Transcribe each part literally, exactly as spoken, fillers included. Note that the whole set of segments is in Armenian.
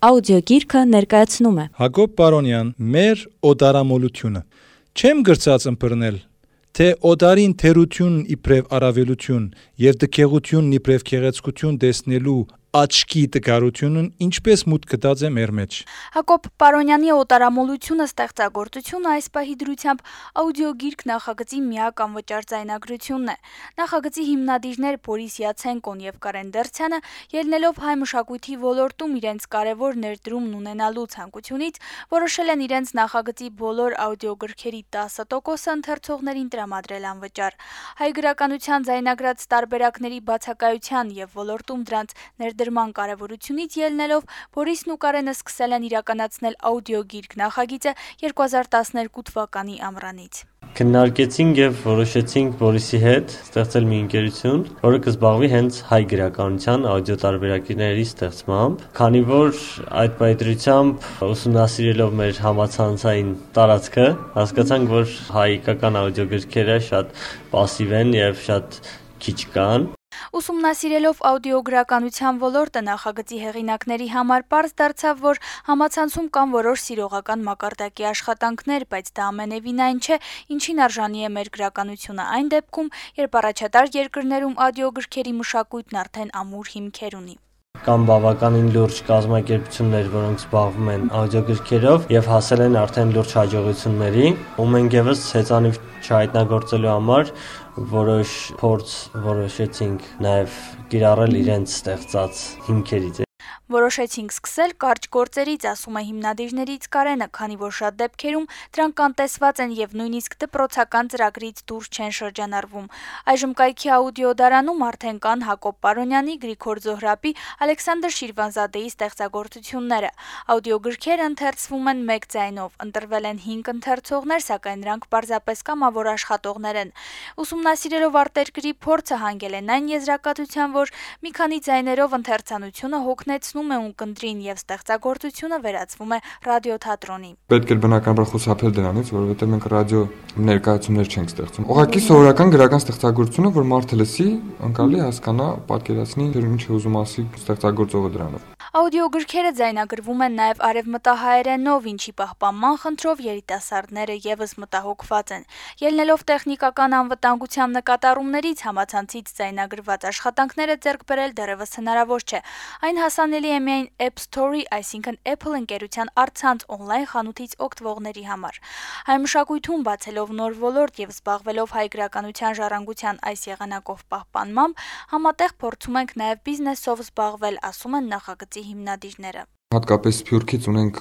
Աուդիոգիրքը ներկայացնում է Հակոբ Պարոնյան, մեր օտարամոլությունը։ Չեմ գրծած ըմբռնել, թե օտարին թերությունն իբրև առավելություն եւ դքեղությունն իբրև գեղեցկություն տեսնելու աչքի տկարությունն ինչպես մուտք գտած է մեր մեջ։ Հակոբ Պարոնյանի օտարամոլությունը ստեղծագործությունը այս պահի դրությամբ աուդիոգիրք նախագծի միակ անվճար ձայնագրությունն է։ Նախագծի հիմնադիրներ Բորիս Յացենկոն եւ Կարեն Դերցյանը, ելնելով հայ մշակույթի ոլորտում իրենց կարևոր ներդրումն ունենալու ցանկությունից, որոշել են իրենց նախագծի բոլոր աուդիոգրքերի տասը տոկոսը ընթերցողներին տրամադրել անվճար։ Հայ գրականության ձայնագրած տարբերակների բացակայության եւ ոլորտում դրանց ներդրման կարևորությունից ելնելով Բորիսն ու Կարենը սկսել են իրականացնել աուդիոգիրք նախագիծը երկու հազար տասներկու թվականի ամռանից։ Քննարկեցինք եւ որոշեցինք Բորիսի հետ ստեղծել մի ընկերություն, որը կզբաղվի հենց հայ գրականության աուդիո տարբերակների ստեղծմամբ, քանի որ այդ պայծրությամբ ուսումնասիրելով մեր համացանցային տարածքը, հասկացանք, որ հայկական աուդիոգրքերը շատ պասիվ են եւ շատ քիչ կան։ Ուսումնասիրելով աուդիոգրականության ոլորտը նախագծի հեղինակների համար պարզ դարձավ, որ համացանցում կան որոշ սիրողական մակարդակի աշխատանքներ, բայց դա ամենևին այն չէ, ինչին արժանի է մեր գրականությունը այն դեպքում, երբ առաջատար երկրներում աուդիոգրքերի մշակույթն արդեն ամուր հիմքեր ունի։ Կան բավականին լուրջ կազմակերպություններ, որոնք զբաղվում են աուդիոգրքերով եւ հասել են արդեն լուրջ հաջողությունների, ու մենք եւս հեծանիվ չհայտնագործելու համար որոշ փորձ որոշեցինք նաեւ կիրառել իրենց ստեղծած հիմքերից։ Որոշեցինք սկսել կարճ գործերից, ասում է հիմնադիրներից Կարենը, քանի որ շատ դեպքերում դրանք կանտեսված են եւ նույնիսկ դպրոցական ծրագրից դուրս չեն շրջանառվում։ Այժմ կայքի աուդիոդարանում արդեն կան Հակոբ Պարոնյանի, Գրիգոր Զոհրաբի, Ալեքսանդր Շիրվանզադեի ստեղծագործությունները։ Աուդիոգրքերը ընթերցվում են մեկ ձայնով, ընտրվել են հինգ ընթերցողներ, սակայն նրանք պարզապես կամավոր աշխատողներ են։ Ուսումնասիրելով արտերկրի փորձը հանգել են այն եզրակացության, որ մի քանի ձայներով ընթերցանությունը հոգնեցնում է ունկնդրին եւ ստեղծագործությունը վերածվում է ռադիոթատրոնի։ Պետք է բնականաբար խուսափել դրանից, որովհետեւ մենք ռադիո ներկայացումներ չենք ստեղծում։ Ուղղակի սովորական գրական ստեղծագործությունը, որ մարդը լսի, անկարելի հասկանա, պատկերացնի, թե ինչ է ուզում ասի ստեղծագործողը դրանով։ Աուդիոգրքերը ձայնագրվում են նաև արևմտահայերենով, ինչի պահպանման խնդրով երիտասարդները եւս մտահոգված են։ Ելնելով տեխնիկական անվտանգության նկատառումներից համացանցից ձայնագրված աշխատանքները ձեռք բերել դեռևս հնարավոր չէ։ Այն հասանելի է միայն App Store-ի, այսինքն Apple ընկերության առցանց on-line խանութից օգտվողների համար։ Հայ մշակույթում բացելով նոր ոլորտ եւ զբաղվելով հայ գրականության ժառանգության այս եղանակով պահպանմամբ, համատեղ փորձում ենք նաև բիզնեսով զբաղվել, ասում են նախագծի հիմնադիրները։ Հատկապես Սփյուռքից ունենք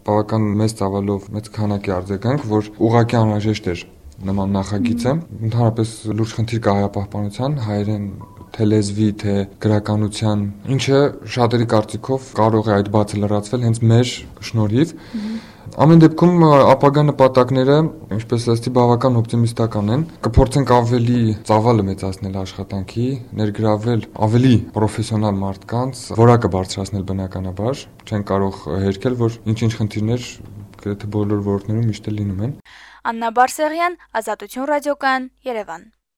բավական մեծ ծավալով մեծ քանակի արձագանք, որ ուղղակի անհրաժեշտ էր նման նախագիծը։ Ընդհանրապես լուրջ խնդիր կա հայապահպանության, հայերեն թե լեզվի, թե գրականության, ինչը շատերի կարծիքով կարող է այդ բացը լրացվել հենց մեր շնորհիվ։ Ամեն դեպքում ապագա նպատակները, ինչպես ասեցի, բավական օպտիմիստական են։ Կփորձենք ավելի ծավալը մեծացնել աշխատանքի, ներգրավել ավելի պրոֆեսիոնալ մարդկանց, որակը բարձրացնել բնականաբար։ Չեն կարող հերքել, որ ինչ-ինչ խնդիրներ գրեթե բոլոր ոլորտներում միշտ լինում են։ Աննա Բարսեղյան, Ազատություն ռադիոկայան, Երևան։